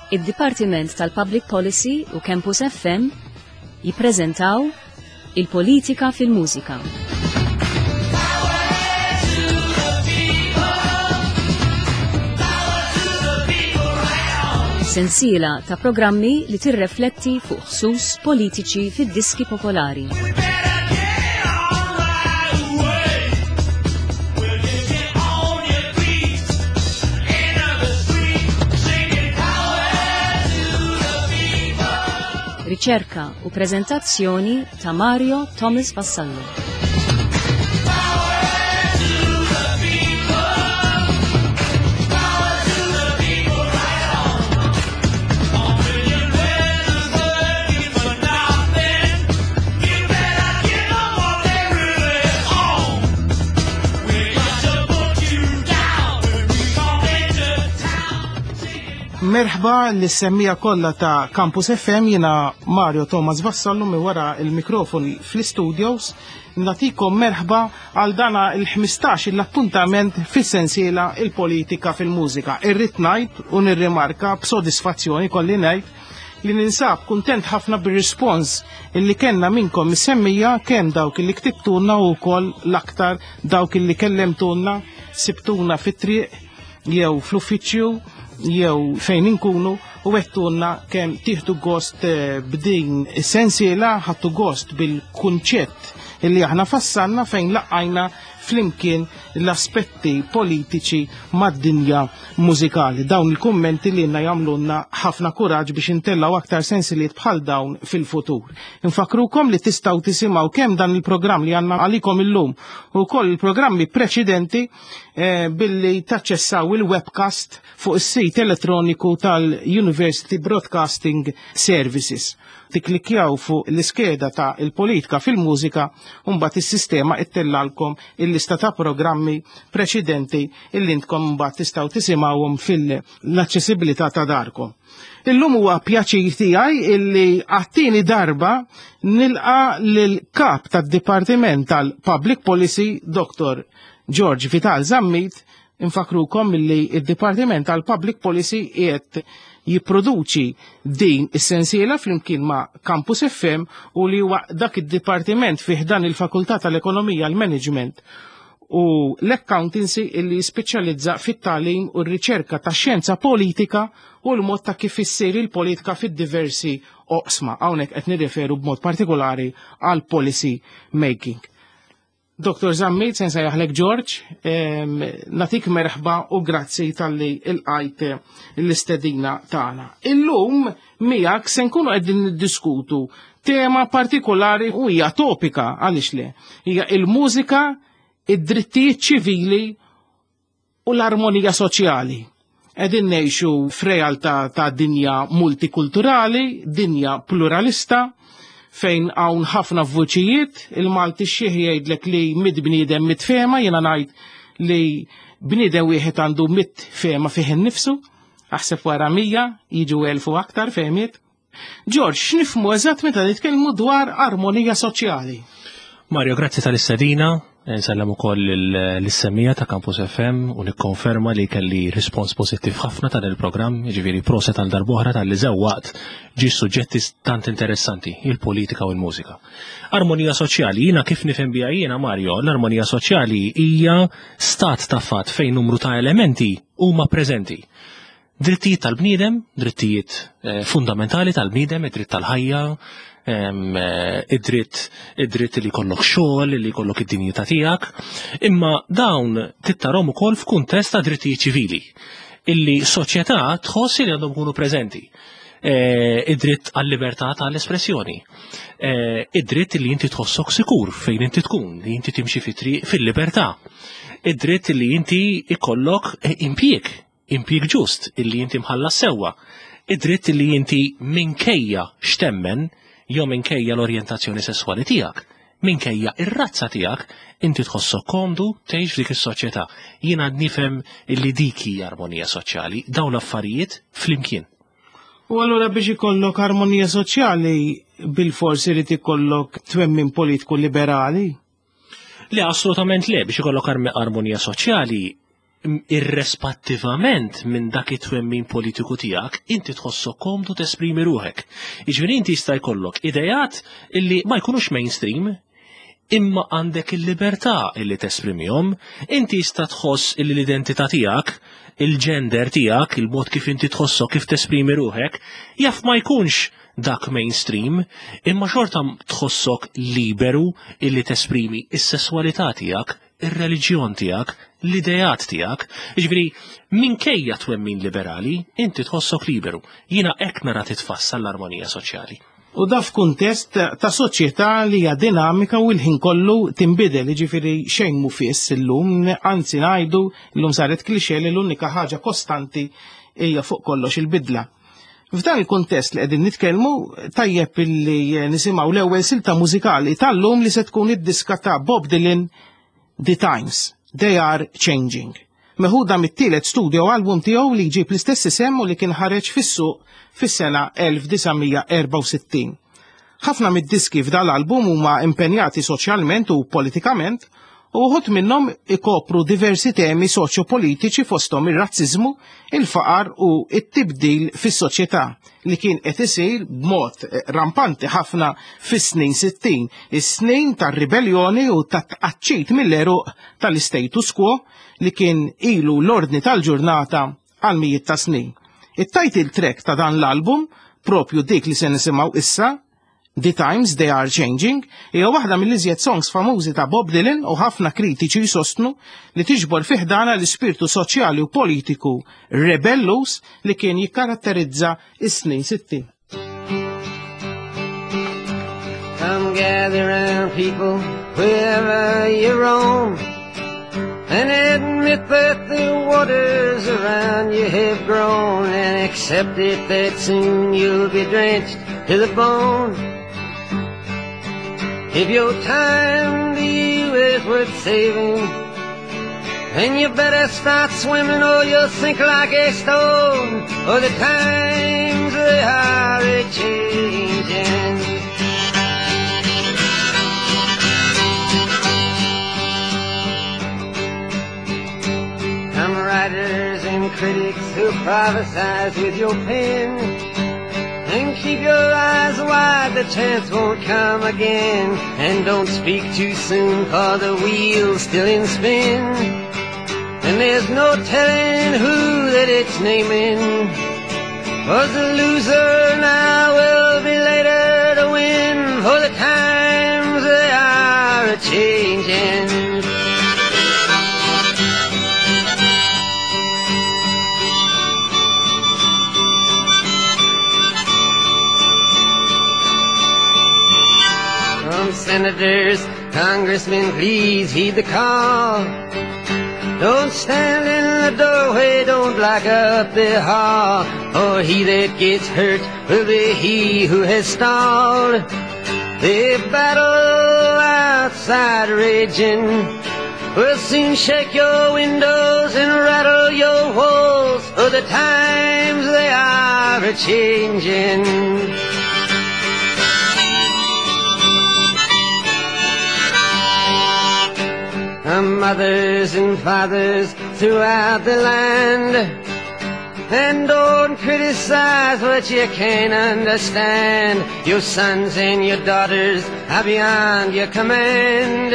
Id-Dipartiment tal-Public Policy u Campus FM jippreżentaw Il-Politika fil-Mużika. Sensiela ta' programmi li tirrefletti fuq ħsus politiċi fid-diski popolari. Riċerka u preżentazzjoni ta' Mario Thomas Vassallo. Merħba lis-semmija kollha ta' Campus FM jiena Mario Thomas Vassallo minn wara il-mikrofon fl-studios natikom merħba għal dana il-15 l-appuntament fis-sensiela il-politika fil-mużika. Irrid ngħid u nirrimarka b'sodisfazzjoni kolli ngħid li ninsab kuntent ħafna bir-rispons illi kellna minnkom mis-semmija kemm dawk illi ktibtulna u wkoll l-aktar dawk illi kellemtulna sibtuna fit-triq jew fl-uffiċċju jew fejn inkunu u għettulna kemm tieħdu gost eh, b'din is-sensiela ħadtu gost bil-kunċett illi aħna fassanna fejn laqajna flimkien l-aspetti politiċi mad-dinja mużikali. Dawn il-kummenti li jenna jagħmlulna ħafna kuraġġ biex intellaw aktar sensiliet bħal dawn fil-futur. Infakrukom li tistgħu tisimgħu kemm dan il-programm li għandna għalikom illum u koll il-programmi preċedenti eh, billi taċċessaw il-webcast fuq is-sit elettroniku tal-University Broadcasting Services. Tiklikjaw fuq l-iskeda ta' il-politika fil-mużika u mbagħad is-sistema ittellalkom il-lista ta' programmi preċedenti illi intkom mbagħad tistgħu tisimgħuhom fil-aċċessibilità ta' darkom. Illum huwa pjaċir tiegħi illi għat-tieni darba nilqa' lil kap tad-Dipartiment tal-Public Policy, Dr. George Vital Zammit, infakrukom illi id-Dipartiment tal-Public Policy qiegħed jipproduċi din is-sensiela flimkien ma' Campus FM u li huwa dak id-dipartiment fih dan il-Fakultà tal-Ekonomija l-Management u l-Accountancy illi jispeċjalizza fit-tagħlim u r-riċerka ta' xjenza politika u l-mod ta' kif issir il-politika fid-diversi oqsma. Hawnhekk qed nirreferu b'mod partikolari għal policy making. Dr. Zammit, sen sejjaħlek George, natik merħba u grazzi tal-li il-qajt l-istedina tagħna. Illum miegħek se nkunu qegħdin niddiskutu tema partikolari u hija topika għaliex le. Hija il-mużika, id-drittijiet ċivili u l-armonija soċjali. Qegħdin ngħixu f'realtà ta' dinja multikulturali, dinja pluralista, fejn hawn ħafna vuċijiet, il-Malti xieħ jgħidlek li mid bniedem mit fema, jiena ngħid li bniedem wieħed għandu mit fema fih innifsu, aħseb wara 100 jiġu 1000 u aktar fehmiet. George, x'nifhmu eżatt meta nitkellmu dwar armonija soċjali? Mario, grazzi tal-istedina. Nsellem ukoll l-semmija ta' Campus FM u nikkonferma li kelli rispons pożittiv ħafna ta' il-programm, jiġifieri proset tal darbohra tal-li żewwaqt ġie suġġetti tant interessanti, il-politika u l-mużika. Armonija soċjali, jiena kif nifhem biha jiena Mario, l-armonija soċjali hija stat ta' fatt fejn numru ta' elementi huma preżenti. Drittijiet tal-bniedem, drittijiet eh, fundamentali tal-bniedem, id-dritt tal-ħajja, eh, id-dritt id-dritt li jkollok xogħol, li jkollok id-dinjità tiegħek, imma dawn tittarhom ukoll f'kuntest ta' drittijiet ċivili illi soċjetà tħoss li għandhom ikunu preżenti. Eh, id-dritt għal-libertà tal-espressjoni, id-dritt li inti tħossok sikur fejn inti tkun, li inti timxi fi triq fil-libertà, id-dritt li inti ikollok impjieg impjieg ġust illi inti mħallas sewwa, id-dritt illi inti minkejja x'temmen jew minkejja l-orjentazzjoni sesswali tiegħek, minkejja ir-razza tiegħek, inti tħossok komdu tgħix f'dik is-soċjetà. Jiena nifhem illi dik hija armonija soċjali, dawn l-affarijiet flimkien. U allura biex ikollok armonija soċjali bil-fors irid ikollok twemmin politiku liberali? Le, assolutament le, biex ikollok armonija soċjali. Irrespattivament minn dak it-twemmin politiku tiegħek, inti tħossok komdu tesprimi ruħek. Jiġifieri inti jista' jkollok idejat illi ma jkunux mainstream, imma għandek il-libertà illi tesprimihom, inti jista' tħoss illi l-identità tiegħek, il-gender tiegħek, il-mod kif inti tħossok, kif tesprimi ruħek, jaf ma jkunx dak mainstream, imma xorta tħossok liberu illi tesprimi is-sesswalità tiegħek, ir-reliġjon tiegħek, l-ideat tiegħek. Jiġifieri, minkejja twemmin liberali, inti tħossok liberu. Jiena hekk nara titfassal l-armonija soċjali. U da f'kuntest ta' soċjetà li hija dinamika u l-ħin kollu tinbidel, jiġifieri xejn mhu fiss illum, anzi ngħidu llum saret cliché li l-unika ħaġa kostanti hija fuq kollox il-bidla. F'dan il-kuntest li qegħdin nitkellmu, tajjeb illi nisimgħu l-ewwel silta mużikali tal-lum li se tkun id-diska ta' Bob Dylan The Times, They Are Changing. Meħuda mit-tielet studio album tiegħu li jġib l-istess isem u li kien ħareġ fis-suq fis-sena 1964. Ħafna mid-diski f'dal-album huma impenjati soċjalment u politikament u uħud minnhom ikopru diversi temi soċjopolitiċi fosthom ir-razziżmu, il-faqar u t-tibdil fis-soċjetà li kien qed isir b'mod rampanti ħafna fis-snin 60, is-snin tar-ribelljoni u tat-tqaċċit mill-għeruq tal-istatus quo li kien ilu l-ordni tal-ġurnata għal mijiet ta' snin. It-title track ta' dan l-album, propju dik li se nisimgħu issa, The Times They Are Changing, hija waħda mill-iżjed songs famużi ta' Bob Dylan u ħafna kritiċi jsostnu li tiġbor fi ħdanha l-ispirtu soċjali u politiku rebelluż li kien jikkaratterizza s-snin 60. Come gather round people wherever you roam and admit that the waters around you have grown and accept it that soon you'll be drenched to the bone. If your time to you is worth saving, then you better start swimming or you'll sink like a stone. For the times they are a-changing. Come writers and critics who prophesize with your pen, and keep your eyes wide, the chance won't come again. And don't speak too soon, for the wheel's still in spin. And there's no telling who that it's naming. For the loser now will be later to win, for the times they are a-changing. From senators, congressmen, please heed the call. Don't stand in the doorway, don't block up the hall, for he that gets hurt will be he who has stalled. The battle outside raging will soon shake your windows and rattle your walls, for the times they are a-changing. Mothers and fathers throughout the land, and don't criticize what you can't understand. Your sons and your daughters are beyond your command.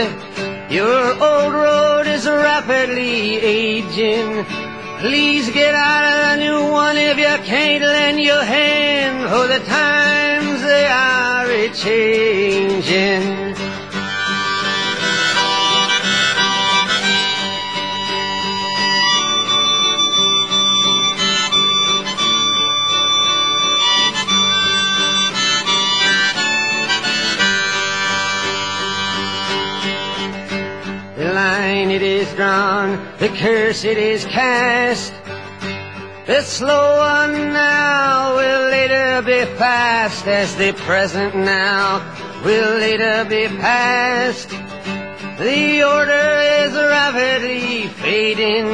Your old road is rapidly aging. Please get out of the new one if you can't lend your hand, for the times they are a-changing. The line it is drawn, the curse it is cast. The slow one now will later be fast, as the present now will later be past. The order is rapidly fading,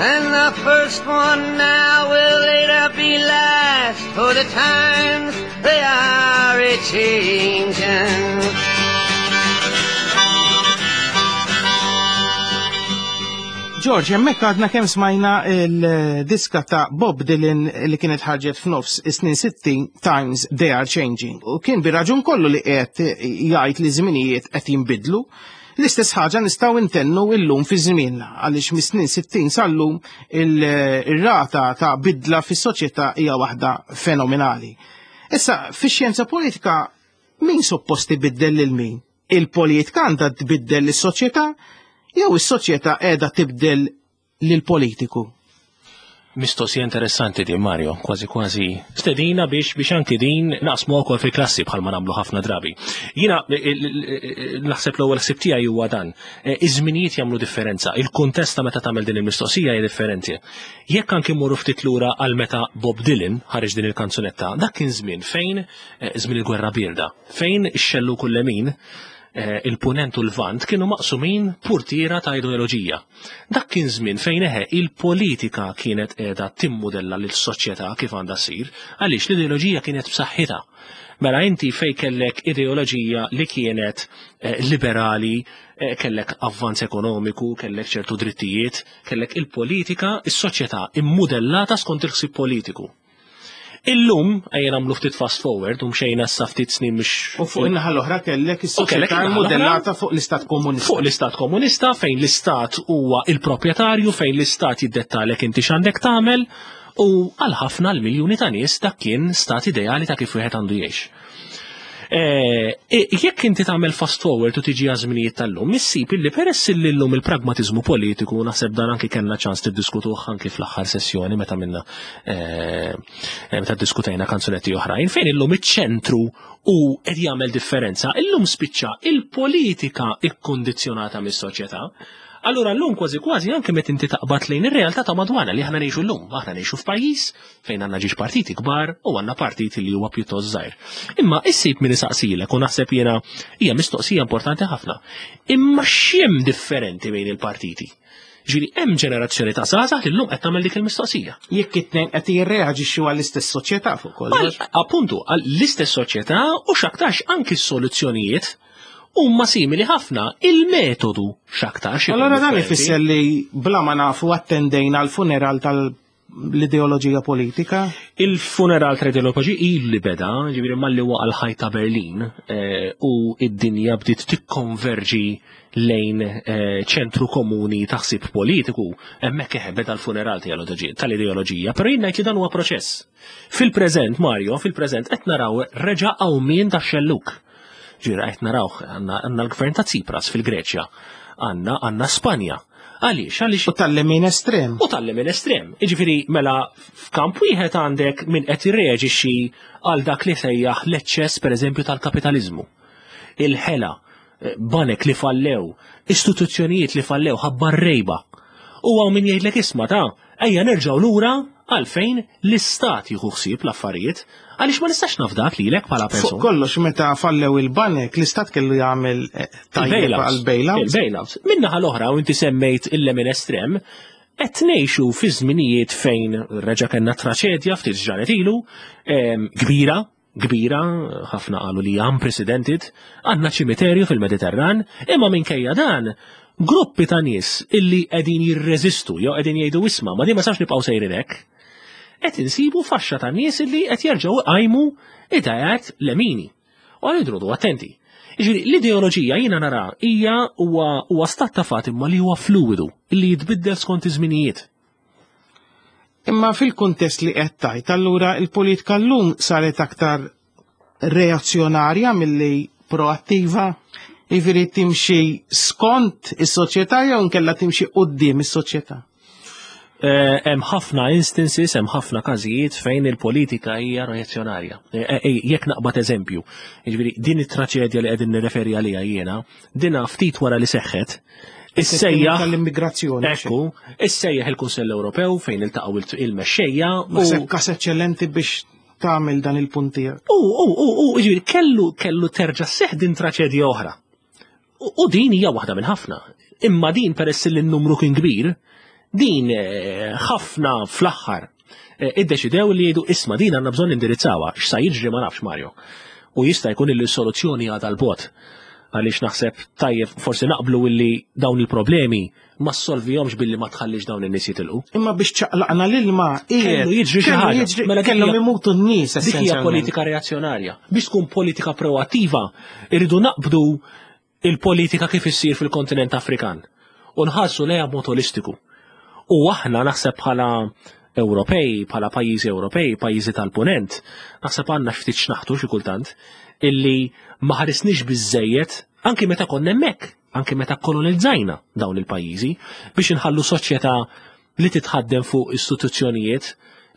and the first one now will later be last, for the times they are a-changing. George, hemmhekk għadna kemm smajna il-diska ta' Bob Dylan li kienet ħarġet f'nofs is-snin 60, Times They Are Changing. U kien bir-raġun kollu li qed jgħid li żminijiet qed jinbidlu. L-istess ħaġa nistgħu intennu illum fi żmienna, għaliex mis-snin 60 sal-lum il-rata ta' bidla fis-soċjetà hija waħda fenomenali. Issa, fix-xjenza politika, min suppost ibiddel lil min? Il-politika għandha tbiddel lis-soċjetà jew is-soċjetà qiegħda tibdel lill-politiku? Mistoqsija interessanti din, Mario, kważi kważi stedina biex anki din naqsmu wkoll fil-klassi bħalma nagħmlu ħafna drabi. Jiena naħseb l-ewwel ħsieb tiegħi huwa dan. Iż-żminijiet jagħmlu differenza, il-kuntest ta' meta tagħmel din il-mistoqsija hija differenti. Jekk anki mmorru ftit lura għal meta Bob Dylan ħareġ din il-kanzunetta, dak kien żmien fejn żmien il-Gwerra Bierda, fejn ix-xellug u l-lemin, il-punent u l-vant kienu maqsumin purtiera ta' ideoloġija. Dak kien żmien fejn eħe il-politika kienet qiegħda timmudella lis-soċjetà kif għandha ssir, għaliex l-ideoloġija kienet b'saħħitha. Mela inti fej kellek ideoloġija li kienet liberali, kellek avvanz ekonomiku, kellek ċertu drittijiet, kellek il-politika, is-soċjetà immudellata skont il-ħsieb politiku. Illum, ejja nagħmlu ftit fast forward, u mxejna issa ftit snin mhux U fuq in-naħa l-oħra kellek U kellek is-soċjetà in-naħa l-oħra. modellata fuq l-istat komunista. Fuq l-istat komunista, fejn l-istat huwa il-proprjetarju, fejn l-istat jiddettalek inti x'għandek tagħmel, u għal ħafna l-miljuni ta' nies dak kien stat ideali ta' kif wieħed għandu jgħix. Jekk inti tagħmel fast forward u tiġi għażminijiet tal-lum, issib illi peress illi llum il-pragmatiżmu politiku, naħseb dan anki kellna ċans tiddiskutuh anki fl-aħħar sessjoni meta minna meta ddiskutejna kanzunetti oħrajn, fejn illum iċ-ċentru u qed jagħmel differenza, illum spiċċa il-politika ikkondizzjonata mis-soċjetà. Allura llum kważi kważi anke meta inti taqbad lejn ir-realtà ta' madwarna li aħna ngħixu llum, aħna ngħixu f'pajjiż fejn għandna ġiex partiti kbar u għandna partit li huwa pjuttost żgħir. Imma issib min isaqsilek u naħseb jiena hija mistoqsija importanti ħafna. Imma x'hemm differenti bejn il-partiti? Ġifieri hemm ġenerazzjoni ta' żgħażagħ li llum qed tagħmel dik il-mistoqsija. Jekk it-tnejn qed jirreaġixxu għall-istess soċjetà fuq kollox. Appuntu, għall-istess soċjetà u x'aktarx anki s-soluzzjonijiet huma simili ħafna, il-metodu x'aktarx ikun Allora dan differenti. ifisser li bla ma nafu attendejna għal funeral tal-ideoloġija politika? Il-funeral tal-ideoloġija il li beda, ġifieri malli waqa' l-ħajt ta' Berlin u id-dinja bdiet tikkonverġi lejn ċentru komuni ta' ħsieb politiku, hemmhekk eħe beda l-funeral tal-ideoloġija, però jien ngħid li dan huwa proċess. Fil-preżent, Mario, fil-preżent qed naraw reġa' qawmien tax-xelluk. Ġifieri qed naraw għandna l-gvern ta' Tsipras fil-Greċja, għandna Spanja. Għaliex? Għaliex U tal-lemin estrem. U tal-lemin estrem. Jiġifieri mela f'kamp wieħed għandek min qed jirreaġixxi għal dak li sejjaħ l-eċċess pereżempju tal-kapitaliżmu. Il-ħela, banek li fallew, istituzzjonijiet li fallew ħabba rejba. U hawn min jgħidlek isma' ta' ejja nerġgħu lura għalfejn l-istat jieħu ħsieb l-affarijiet, għaliex ma nistax nafdak lilek bħala Fuq persuna. kollox meta fallew il-banek, l-istat kellu jagħmel tajjeb Il-bailouts. għal-bailouts. Il-bailouts. Min-naħa l-oħra, u inti semmejt il-lemin estrem, qed ngħixu fi żminijiet fejn reġa' kellna traċedja ftit ġranet ilu, kbira, kbira, ħafna qalu li unprecedented, għandna ċimiterju fil-Mediterran, imma minkejja dan, gruppi ta' nies illi qegħdin jirreżistu jew qegħdin jgħidu isma' ma din ma sax nibqgħu sejrin hekk. Qed insibu faxxa ta' nies illi qed jerġgħu iqajmu idejat lemini. U għal idrodu attenti. Jiġifieri l-ideoloġija jiena nara hija huwa stat ta' fatt imma li huwa fluidu, illi jitbiddel skont iż-żminijiet. Imma fil-kuntest li qed tajt, allura il-politika llum saret aktar reazzjonarja milli proattiva, jiġifieri timxi skont is-soċjetà jew inkella timxi quddiem is-soċjetà. Hemm ħafna instances, hemm ħafna każijiet fejn il-politika hija reazzjonarja. Jekk naqbad eżempju, jiġifieri din it-traċedja li qegħdin nirreferi għaliha jiena, dina ftit wara li seħħet, issejjaħ tal-immigrazzjoni. Ekku, issejjaħ il-Kunsell Ewropew fejn iltaqgħu il-mexxejja u Naħseb każ eċċellenti biex tagħmel dan il-punt tiegħek. U jiġifieri kellu terġa' sseħħ din traċedja oħra. U din hija waħda minn ħafna. Imma din peress li n-numru kien kbir, din ħafna fl-aħħar iddeċidew li jgħidu isma' din għandna bżonn indirizzawha, x'sa jiġri ma nafx Mario. U jista' jkun li s-soluzzjoni għadha l-bot. Għaliex naħseb tajjeb forsi naqblu illi dawn il-problemi ma ssolvihomx billi ma tħallix dawn in-nies jitilqu. Imma biex ċaqlaqna l-ilma, Kellu jiġri xi ħaġa. Mela kellhom imutu n-nies. Dik hija politika reazzjonarja. Biex tkun politika proattiva, irridu naqbdu il-politika kif issir fil-kontinent Afrikan u nħarsu lejha b'mod olistiku. U aħna naħseb bħala Ewropej, bħala pajjiżi Ewropej, pajjiżi tal-Punent, naħseb għandna ftit x'naħtu xi kultant illi ma ħarisniex biżejjed anki meta konna hemmhekk, anki meta kolonizzajna dawn il-pajjiżi biex inħallu soċjetà li titħaddem fuq istituzzjonijiet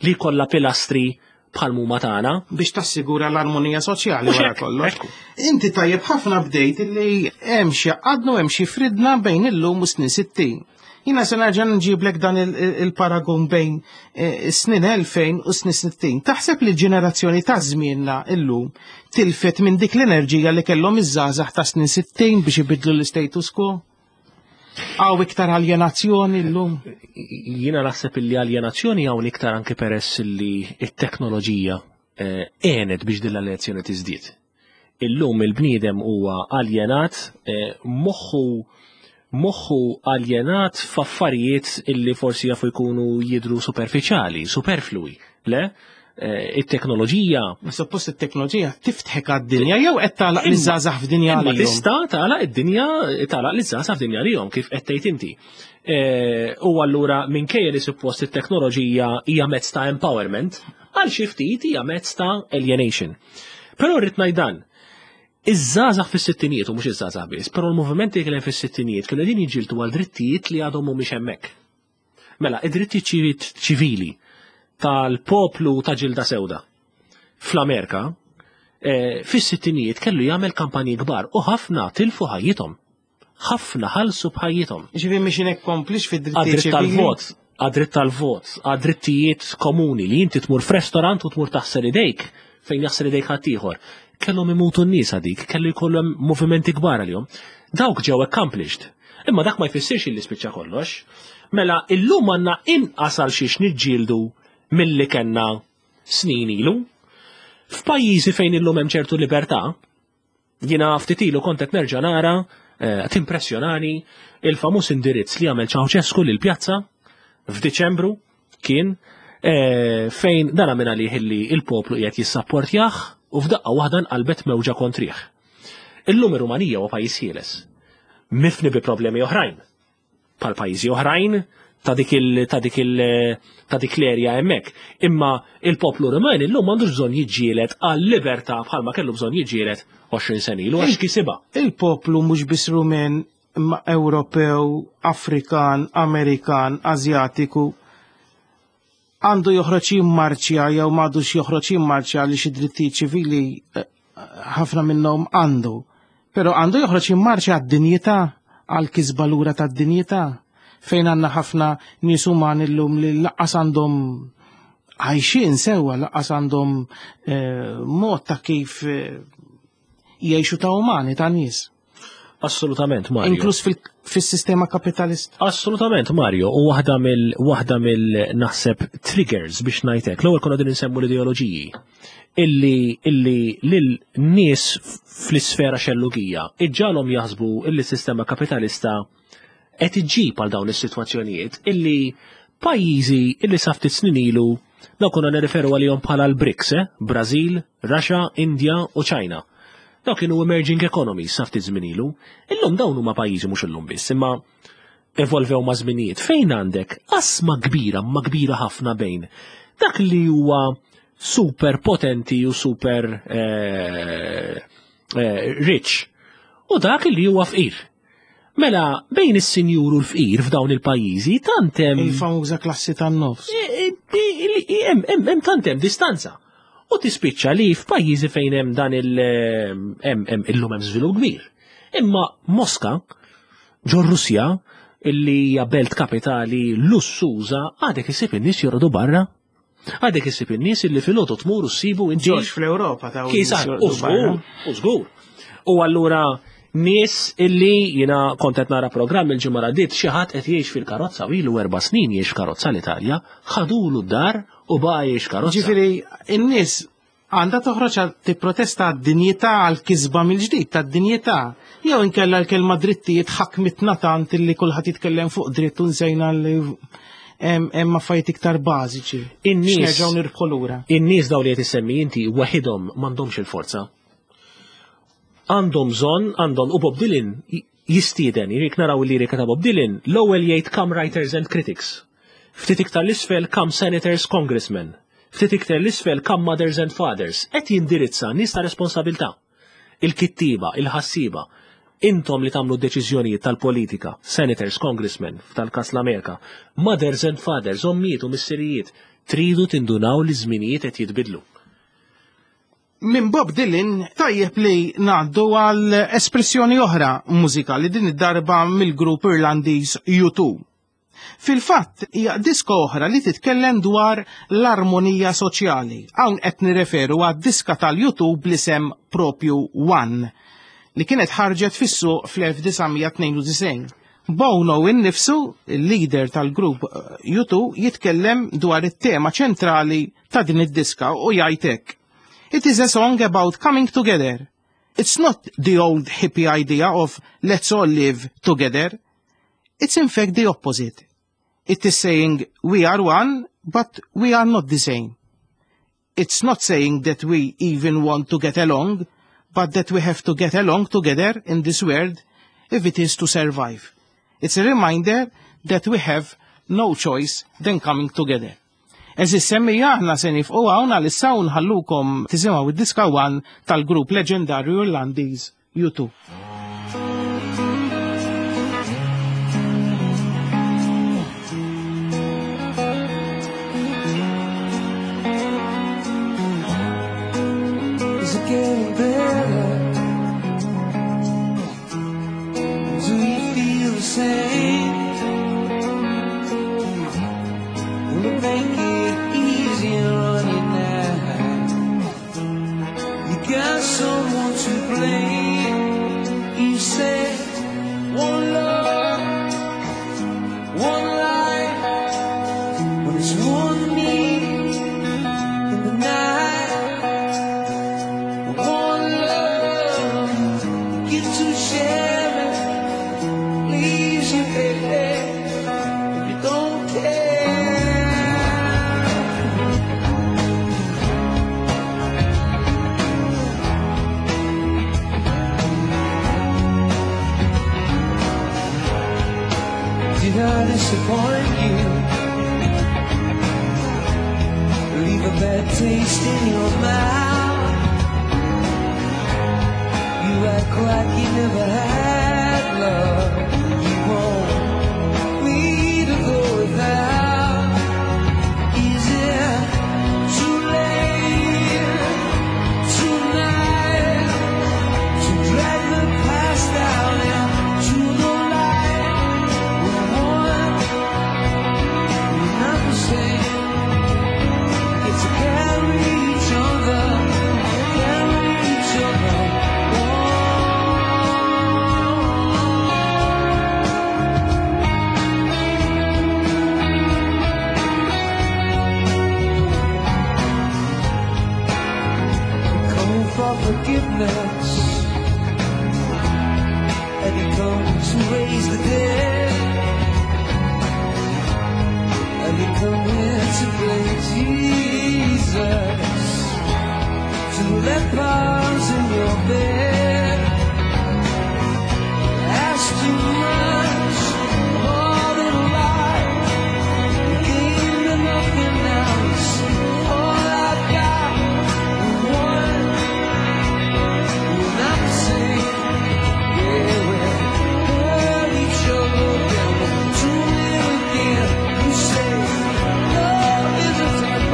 li kollha pilastri bħal muma tagħna. Biex tassigura l-armonija soċjali wara kollox. Inti tajjeb ħafna bdejt li hemm xi għadnu hemm xi fridna bejn illum u snin 60. Jina se nerġa' nġiblek dan il-paragun bejn eh, snin 2000 u snin 60. Taħseb li l-ġenerazzjoni ta' żmienna illum tilfet minn dik l-enerġija li kellhom iż-żgħażagħ ta' snin 60 biex ibidlu l-status quo? Għaw iktar aljenazzjoni l-lum? Jina naħseb illi aljenazzjoni hawn iktar anke peress li t-teknoloġija eh, għenet biex din l-aljenazzjoni tiżdied. Illum il-bniedem huwa aljenat, eh, moħħu moħħu aljenat f'affarijiet illi forsi jafu jkunu jidru superfiċjali, superflui, le? Eh, it-teknoloġija. Ma suppost it-teknoloġija tiftħek għad-dinja jew qed tagħlaq liż-żgħażagħ f'dinja għalihom. Tista' tagħlaq id-dinja tagħlaq liż-żgħażagħ f'dinja għalihom kif qed tgħid inti. Eh, u allura minkejja li suppost it-teknoloġija hija mezz ta' empowerment, għal xi ftit hija mezz ta' alienation. Però rrid ngħid dan, Iż-żgħażagħ fis-sittinijiet u mhux iż-żgħażagħ biss, però l-movimenti li kien hemm fis-sittinijiet kienu qegħdin jiġġieldu għal drittijiet li għadhom mhumiex hemmhekk. Mela, id-drittijiet ċivili tal-poplu ta' ġilda sewda fl-Amerika eh, fis-sittinijiet kellu jagħmel kampanji kbar u ħafna tilfu ħajjithom. Ħafna ħalsu b'ħajjithom. Ġifieri biex inekkomplix fid-drittijiet ċivili. tal-vot, għad-dritt tal-vot, għad-drittijiet komuni li inti tmur f'restorant u tmur taħsel idejk fejn jaħsel idejk ħaddieħor. Kellhom imutu n-nies għadik, kellu jkollhom movimenti kbar għalihom. Dawk ġew accomplished. Imma dak ma jfissirx illi spiċċa kollox. Mela illum għandna inqas għal xiex niġġieldu milli kellna snin ilu. F'pajjiżi fejn illum hemm ċertu libertà, jiena ftit ilu kont qed nerġa' nara eh, timpressjonani il-famuż indirizz li għamel Ceausescu lil pjazza f'Diċembru kien eh, fejn dan għamel għalih illi il-poplu qiegħed jissapportjah u f'daqqa waħda nqalbet mewġa kontrih. Illum ir-Rumanija huwa pajjiż ħieles. Mifni bi problemi oħrajn. Bħal pajjiżi oħrajn ta' dik il ta' dik il ta' dik l-erja hemmhekk. Imma il-poplu Ruman illum m'għandux bżonn jiġġieled għal libertà bħalma kellu bżonn jiġġieled 20 sena ilu għax kisibha. Il-poplu mhux biss Rumen imma Ewropew, Afrikan, Amerikan, Asjatiku għandu joħroġ jimmarċja jew m'għadux joħroġ jimmarċja għaliex id-drittijiet ċivili eh, ħafna minnhom għandu. Però għandu joħroġ jimmarċja għad-dinjità, għal-kisba lura tad-dinjità fejn għandna ħafna nies umani llum li laqqas għandhom għajxin sewwa, laqqas għandhom eh, mod ta' kif eh, jgħixu ta' umani, ta' nies. Assolutament, Mario. Inkluż fil-sistema kapitalista. Assolutament, Mario. U waħda mill waħda mill naħseb triggers biex ngħidlek. L-ewwel konna din insemmu l-ideoloġiji illi illi lil nies fl-isfera xellugija iġġalhom jaħsbu illi s-sistema kapitalista qed iġġib għal dawn is-sitwazzjonijiet illi pajjiżi illi sa ftit snin ilu dawn konna nirreferu għalihom bħala l-BRICS, eh? Brażil, Russia, India u China. Dawk kienu emerging economies sa ftit żmien ilu. Illum dawn huma pajjiżi mhux illum biss, imma evolvew ma' żminijiet fejn għandek qasma kbira, ma kbira ħafna bejn dak li huwa super potenti u super eh, eh, rich u dak li huwa fqir. Mela, bejn is-sinjur u l-fqir f'dawn il-pajjiżi tant hemm. Il-famuża klassi tan-nofs. Hemm tant hemm distanza. U tispiċċa li f'pajjiżi fejn hemm dan il hemm illum hemm żvilupp kbir. Imma Moska, ġo Russja, illi hija belt kapitali lussuża, għadek isib in-nies jorqdu barra. Għadek issib in-nies illi filgħodu tmur u ssibu inti. Ġorġ fl-Ewropa ta' Kisa, u żgur, u żgur. U allura nies illi jiena kont qed nara programm il-ġimgħa għaddiet xi ħadd qed jgħix fil-karozza u ilu erba' snin jgħix karozza l-Italja, ħadulu d-dar u baqa' jgħix karozza. Ġifieri in-nies Għandha toħroġ għal tipprotesta għad-dinjità, għall-kisba mill-ġdid tad-dinjità. Jew inkella l-kelma drittijiet ħakmitna tant illi kulħadd jitkellem fuq dritt u nsejna li hemm affarijiet iktar bażiċi. In-nies X'nerġgħu nirbħu lura. In-nies dawn li qed issemmi inti waħidhom m'għandhomx il-forza. Għandhom bżonn, għandhom u Bob Dylan jistieden, jekk naraw il-lirika ta' Bob Dylan, l-ewwel jgħid come writers and critics. Ftit iktar l-isfel come senators, congressmen. Ftit iktar l-isfel come mothers and fathers. Qed jindirizza nies ta' responsabilità. Il-kittieba, il-ħassieba. Intom li tagħmlu deċiżjonijiet tal-politika, senators, congressmen, f'tal-kas l-Amerika, mothers and fathers, ommijiet u missirijiet, tridu tindunaw li żminijiet qed jitbidlu. Minn Bob Dylan tajjeb li ngħaddu għal espressjoni oħra mużikali, din id-darba mill-grupp Irlandiż U2. Fil-fatt, hija diska oħra li titkellem dwar l-armonija soċjali. Hawn qed nirreferu għad-diska tal-U2 bl-isem propju One, li kienet ħarġet fis-suq fl-1992. Bono innifsu, il-leader tal-grupp U2, jitkellem dwar it-tema ċentrali ta' din id-diska u jgħid hekk. It is a song about coming together. It's not the old hippie idea of let's all live together. It's in fact the opposite. It is saying we are one, but we are not the same. It's not saying that we even want to get along, but that we have to get along together in this world if it is to survive. It's a reminder that we have no choice than coming together. Għeżież semmiegħa, aħna se nieqfu hawn għalissa u nħallukom tisimgħu id-diska One tal-grupp leġendarju Irlandiż U2. Is it getting better? Do you feel the same? Will it make it easier on you now? You got someone to blame. You said one love, one life, but it's one me in the night. One love, get to share it. Leaves you, baby, if you don't care. Did I disappoint you? Leave a bad taste in your mouth. You act like you never had love. You want me to go without. Is it too late tonight to drag the past out into the light? We're one, we're not the same. It's a carry each other, carry each other. Coming for forgiveness. Have you come to raise the dead? Have you come here to play Jesus? To the lepers in your bed? Ask too much, more than life. You gave me nothing else. All I've got, one. We're not the same. Yeah, we hurt each other, then we'll do it again. You say love is a type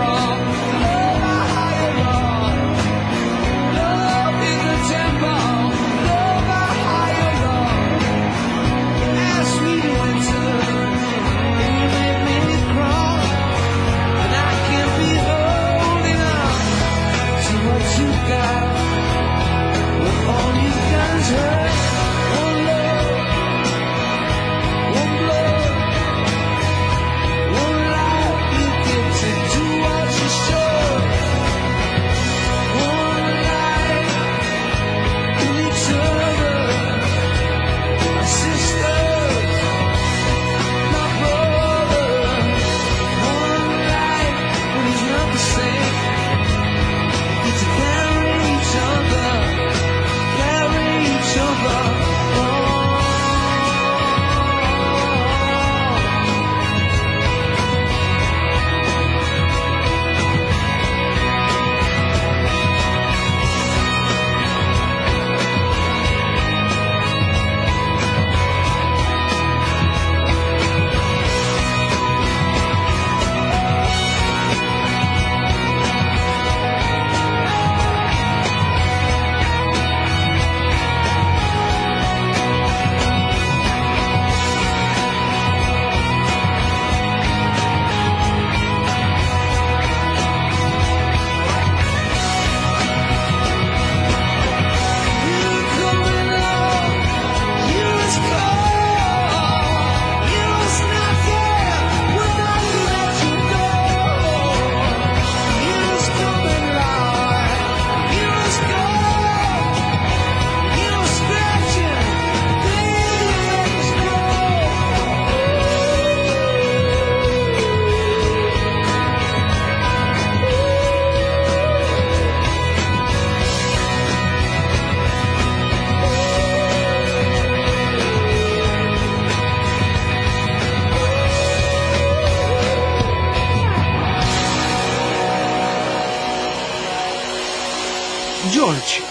George,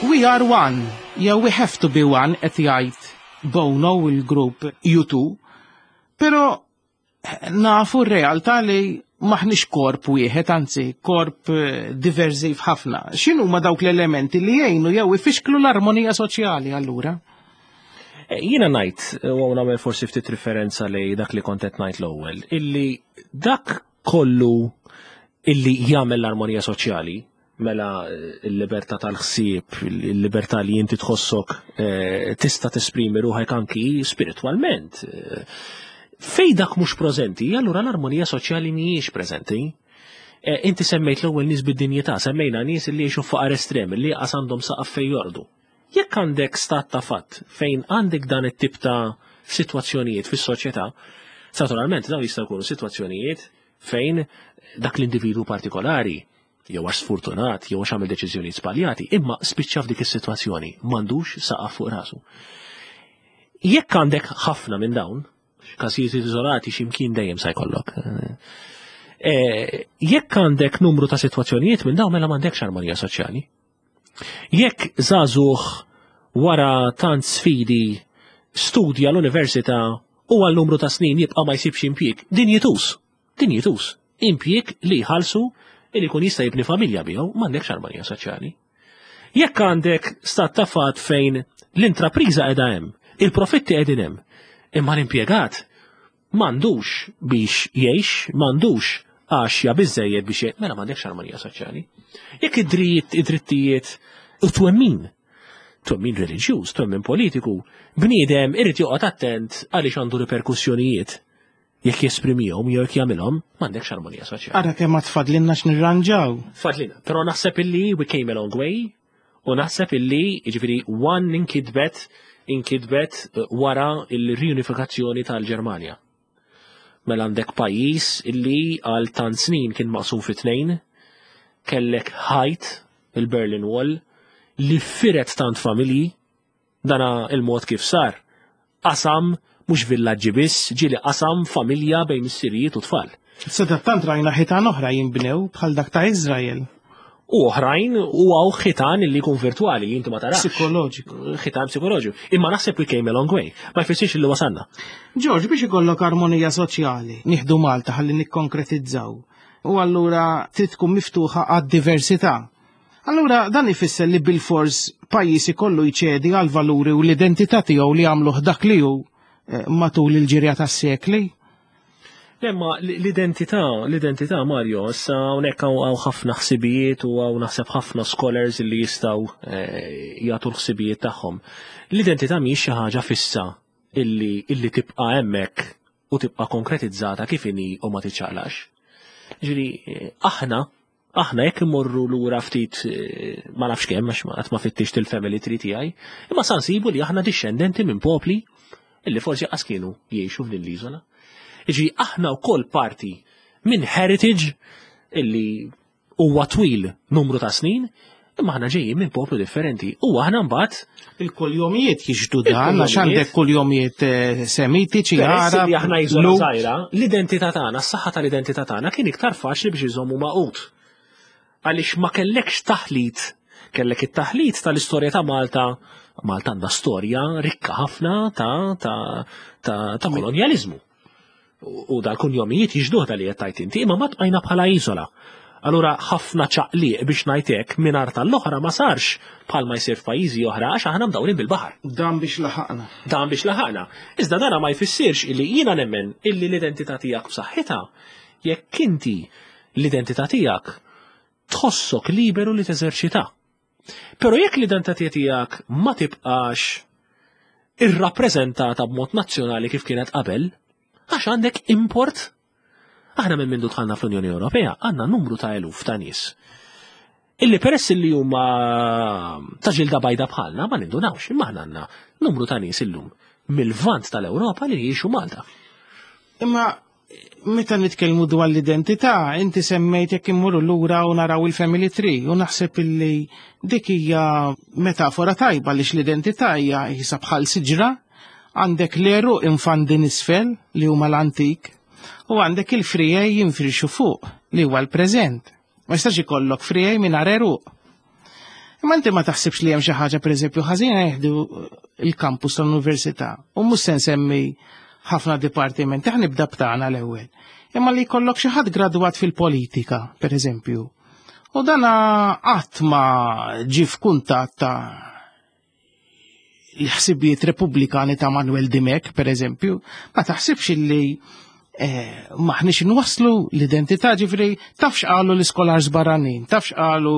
we are one, jew we have to be one qed jgħid Bono u l-grupp U2, però nafu r-realtà li maħniex korp wieħed, anzi korp eh, diversiv ħafna. X'inhu ma dawk l-elementi li jgħinu jew ifixklu l-armonija soċjali allura? Eh, jiena ngħid, eh, u nagħmel forsi ftit referenza li dak li kont qed ngħid l-ewwel, illi dak kollu illi jagħmel l-armonija soċjali, mela il-libertà tal-ħsieb, il-libertà li inti tħossok eh, tista' tesprimi ruħek anki spiritwalment. Eh, fej dak mhux preżenti, allura l-armonija soċjali mhijiex preżenti. Eh, inti semmejt l-ewwel nies bid-dinjità, semmejna nies li jgħixu faqar estrem, li qas għandhom saqaf fejn jordu. Jekk għandek stat ta' fatt fejn għandek dan it-tip ta' sitwazzjonijiet fis-soċjetà, naturalment dawn jistgħu jkunu sitwazzjonijiet fejn dak l-individwu partikolari jew għax sfortunat, jew għax għamel deċiżjonijiet żbaljati, imma spiċċa f'dik is-sitwazzjoni, m'għandux saqaf fuq rasu. Jekk għandek ħafna minn dawn, każijiet iżolati x'imkien dejjem se jkollok. Eh, jekk għandek numru ta' sitwazzjonijiet minn dawn mela m'għandekx armonija soċjali. Jekk żagħżugħ wara tant sfidi studja l-università u għal numru ta' snin jibqa' ma jsibx impjieg, dinjituż, dinjituż, impjieg li jħallsu li jkun jista' jibni familja miegħu, m'għandekx armonija soċjali. Jekk għandek stat ta' fatt fejn l-intrapriża qiegħda hemm, il-profitti qegħdin hemm, imma l-impjegat m'għandux biex jgħix, m'għandux għaxja biżejjed biex jgħix, mela m'għandekx armonija soċjali. Jekk id-dritt, id-drittijiet u twemmin, twemmin reliġjuż, twemmin politiku, bniedem irid joqgħod attent għaliex għandu riperkussjonijiet jekk jesprimihom jew jekk jagħmilhom, m'għandekx armonija soċjali. Ara kemm ma tfadlinna x'nirranġaw. Fadlina, però naħseb illi we came a long way u naħseb illi jiġifieri one inkitbet inkitbet eh, wara il-riunifikazzjoni tal-Ġermanja. Mela għandek pajjiż illi għal tant snin kien maqsum fi tnejn, kellek ħajt il-Berlin Wall li firet tant familji Dana il-mod kif sar. Qasam mhux villaġġi biss, ġieli qasam familja bejn missirijiet u tfal. Sadattant rajna ħitan oħra jinbnew bħal dak ta' Iżrael. U oħrajn u għaw ħitan li jkun virtuali li inti ma tarax. Psikoloġiku. Ħitan psikoloġiku. Imma naħseb we came a long way. Ma jfissirx li wasanna. Ġorġ, biex ikollok armonija soċjali, nieħdu Malta ħalli nikkonkretizzaw. U allura trid tkun miftuħa għad-diversità. Allura dan ifisser li bilfors pajjiż ikollu jċedi għal valuri u l-identità tiegħu li għamluh dak li hu eh, matul il-ġirja tas-sekli? Lemma l-identità, l-identità Mario, issa hawnhekk hawn ħafna ħsibijiet u hawn naħseb ħafna scholars li jistgħu eh, jagħtu l-ħsibijiet tagħhom. L-identità mhijiex xi ħaġa fissa illi illi tibqa' hemmhekk u tibqa' konkretizzata kif inhi u ma tiċċaqlax. Ġifieri eh, aħna Aħna jekk immorru lura ftit eh, ma nafx kemm għax qatt ma fittix il-family tree tiegħi, imma sa nsibu li aħna dixxendenti minn popli illi forsi qas kienu jgħixu f'din l-iżola. Iġi aħna wkoll parti minn heritage illi huwa twil numru ta' snin, imma aħna ġejjin minn poplu differenti. U aħna mbagħad il-kuljomijiet jixdu dan għax għandek kuljomijiet eh, semitiċi Għarab. Li aħna iżola żgħira, l-identità tagħna, s-saħħa tal-identità tagħna kien iktar faċli biex iżommu maqut. Għaliex ma kellekx taħlit, kellek it-taħlit tal-istorja ta' Malta, Malta għandha storja rikka ħafna ta' ta' ta' ta' kolonjaliżmu. U dal-kunjomijiet jixduh dal li qed tgħid inti, imma ma tqajna bħala iżola. Allura ħafna ċaqliq biex ngħid hekk minn art għall-oħra ma sarx bħalma jsir f'pajjiżi oħra għax aħna mdawrin bil-baħar. Dan biex laħaqna. Dan biex laħaqna. Iżda dana ma jfissirx illi jiena nemmen illi l-identità tiegħek b'saħħitha jekk inti l-identità tiegħek tħossok liberu li teżerċitha. Però jekk l-identità tiegħek ma tibqax irrappreżentata b'mod nazzjonali kif kienet qabel, għax għandek import. Aħna minn mindu dħalna fl-Unjoni Ewropea għandna numru ta' eluf ta' nies illi peress li huma ta' ġilda bajda bħalna ma nindunawx imma aħna għandna numru ta' nies illum mill-vant tal-Ewropa li jgħixu Malta. Imma Meta nitkellmu dwar l-identità, inti semmejt jekk immorru lura u naraw il-family tree u naħseb illi dik hija metafora tajba għaliex l-identità hija jisa bħal siġra, għandek l-eru infandi nisfel li huma l-antik u għandek il-frijej jinfrixu fuq li huwa l-preżent. Ma jistax ikollok frijej mingħajr eruq. Imma inti ma taħsibx li hemm xi ħaġa pereżempju ħażina jieħdu il-kampus tal-università u mhux se nsemmi ħafna dipartimenti, ħa nibda b'tagħna l-ewwel. Imma li jkollok xi ħadd gradwat fil-politika, pereżempju. U dana qatt ma ġie f'kuntatt ta' l-ħsibijiet repubblikani ta' Manuel Dimech, per eżempju, ma taħsibx illi eh, maħniex nwasslu l-identità ġifri tafx qalu l-iskolars barranin, tafx qalu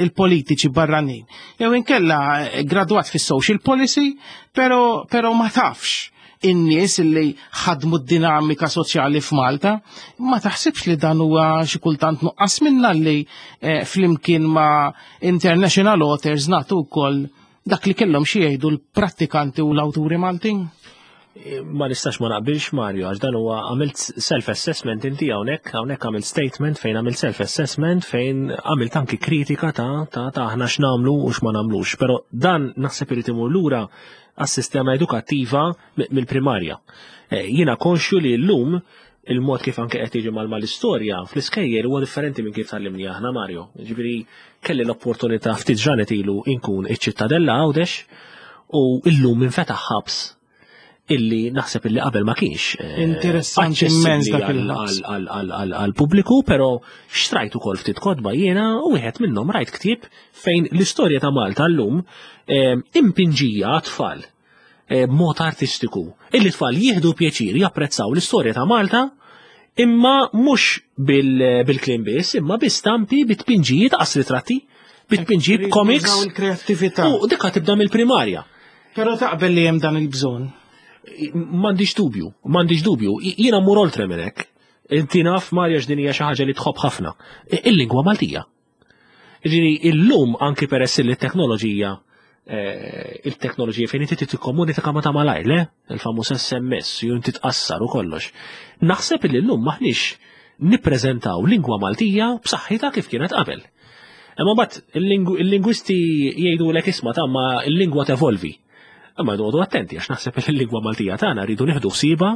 il-politiċi barranin. Jew inkella eh, gradwat fis-social policy, pero, pero ma tafx in-nies li ħadmu d-dinamika soċjali f'Malta, ma taħsibx li dan huwa xi kultant nuqqas minna li eh, flimkien ma' international authors nagħtu wkoll dak li kellhom xi jgħidu l-prattikanti u l-awturi Maltin? Ma nistax ma naqbilx Mario, għax dan huwa għamilt self-assessment inti hawnhekk, hawnhekk għamilt statement fejn għamilt self-assessment fejn għamilt anki kritika ta' ta' ta' aħna x'nagħmlu u x'ma nagħmlux. Però dan naħseb irid imur lura għas-sistema edukattiva mill-primarja. Eh, jiena konxju li llum il-mod kif anke qed jiġi mal-istorja fl-iskejjel huwa differenti minn kif tgħallimni aħna Mario. Ġifieri kelli l-opportunità ftit ġranet ilu inkun iċ-ċittadella Għawdex u illum infetaħ ħabs illi naħseb illi qabel ma kienx. Eh, Interessanti immens dak il-ħabs. Għal-pubbliku, però xtrajt ukoll ftit kotba jiena u wieħed minnhom rajt ktieb fejn l-istorja ta' Malta llum eh, impinġija għat-tfal eh, b'mod artistiku. Illi tfal jieħdu pjaċir japprezzaw l-istorja ta' Malta imma mhux bil-kliem biss, imma bi stampi, bi tpinġijiet, qas ritratti, bi tpinġijiet comics. Il-kreattività. U dikka tibda mill-primarja. Però taqbel li hemm dan il-bżonn. M'għandix dubju, m'għandix dubju. Jiena mmur oltre minn hekk. Inti naf Marja x'din hija xi ħaġa li tħobb ħafna. Il-lingwa Maltija. Ġifieri illum anki peress li t-teknoloġija eh, il-teknoloġija fejn inti tikkomunika ma ta' malajr, le? Il-famuż SMS, ju inti tqassar u kollox. Naħseb li llum maħniex nippreżentaw lingwa Maltija b'saħħitha kif kienet qabel. Imma mbagħad il-lingwisti jgħidulek isma' ta' ma l-lingwa tevolvi. Imma noqogħdu attenti għax naħseb li l-lingwa Maltija tagħna rridu nieħdu ħsiebha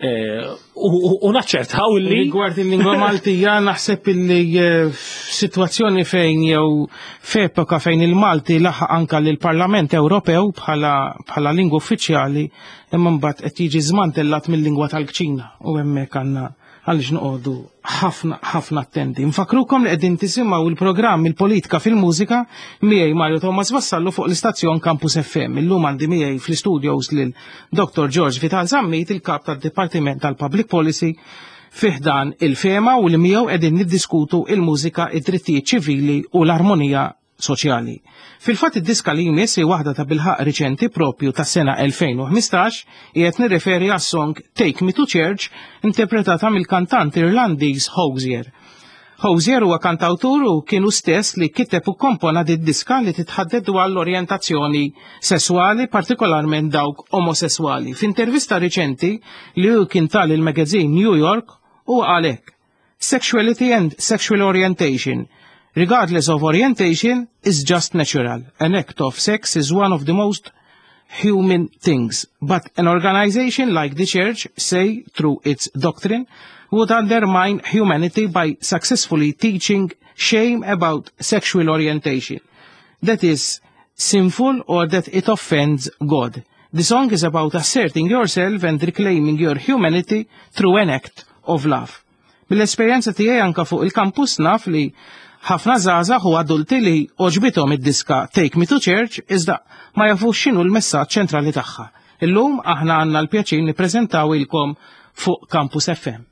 eh, u naċċertaw li. Rigward il-lingwa Maltija naħseb illi eh, f'sitwazzjoni fejn jew f'epoka fejn il-Malti laħaq anka lill-Parlament Ewropew bħala lingwa uffiċjali imma mbagħad qed jiġi żmantellat mill-lingwa tal-kċina u hemmhekk għandna għaliex noqogħdu ħafna ħafna attenti. Nfakrukom li qegħdin tisimgħu il-programm il-politika fil-mużika miegħi Mario Thomas Vassallo fuq l-istazzjon Campus FM. Illum għandi miegħi fl-studios lil Dr. George Vital Zammit, il-kap tad-Dipartiment tal-Public Policy fiħdan il-fema u li miegħu qegħdin niddiskutu il-mużika, id-drittijiet ċivili u l-armonija soċjali. Fil-fatt id-diska li jmiss hi waħda ta' bilħaqq riċenti propju tas-sena 2015, qiegħed nirreferi għas-song Take Me to Church interpretata mill-kantant Irlandiż Hozier. Hozier huwa kantawtur u kien hu stess li kiteb u kkompona did-diska li titħaddet dwar l-orjentazzjoni sesswali, partikolarment dawk omosesswali. F'intervista riċenti li hu kien ta lill-magazine New York, huwa qal hekk, Sexuality and sexual orientation, regardless of orientation, is just natural. An act of sex is one of the most human things. But an organization like the church, say through its doctrine, would undermine humanity by successfully teaching shame about sexual orientation. That is sinful or that it offends God. The song is about asserting yourself and reclaiming your humanity through an act of love. Mill-esperjenza tiegħi anka fuq il-kampus naf li ħafna żgħażagħ u adulti li għoġbithom id-diska Take Me to Church iżda ma jafux x'inhu l-messaġġ ċentrali tagħha. Illum aħna għandna l-pjaċir nippreżentawilkom fuq Campus FM.